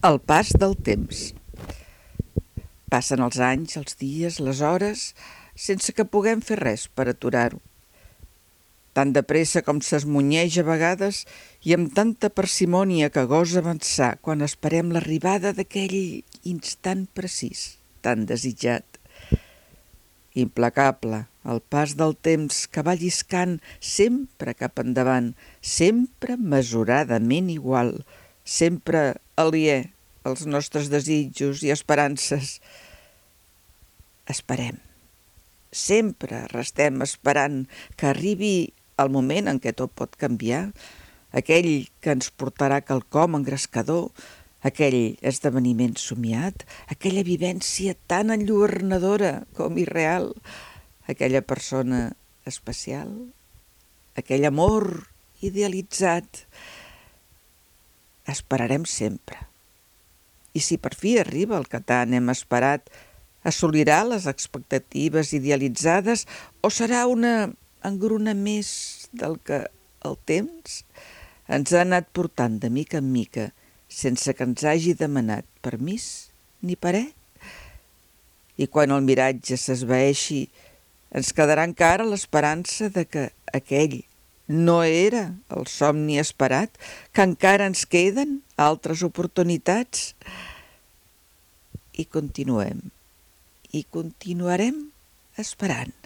El pas del temps. Passen els anys, els dies, les hores, sense que puguem fer res per aturar-ho. Tan de pressa com s'esmunyeix a vegades i amb tanta parsimònia que gosa avançar quan esperem l'arribada d'aquell instant precís, tan desitjat. Implacable, el pas del temps que va lliscant sempre cap endavant, sempre mesuradament igual, sempre aliè als nostres desitjos i esperances. Esperem. Sempre restem esperant que arribi el moment en què tot pot canviar, aquell que ens portarà quelcom engrescador, aquell esdeveniment somiat, aquella vivència tan enlluernadora com irreal, aquella persona especial, aquell amor idealitzat. Esperarem sempre. I si per fi arriba el que tant hem esperat, assolirà les expectatives idealitzades o serà una engruna més del que el temps ens ha anat portant de mica en mica sense que ens hagi demanat permís ni parer? I quan el miratge s'esvaeixi, ens quedarà encara l'esperança de que aquell no era el somni esperat, que encara ens queden altres oportunitats. I continuem, i continuarem esperant.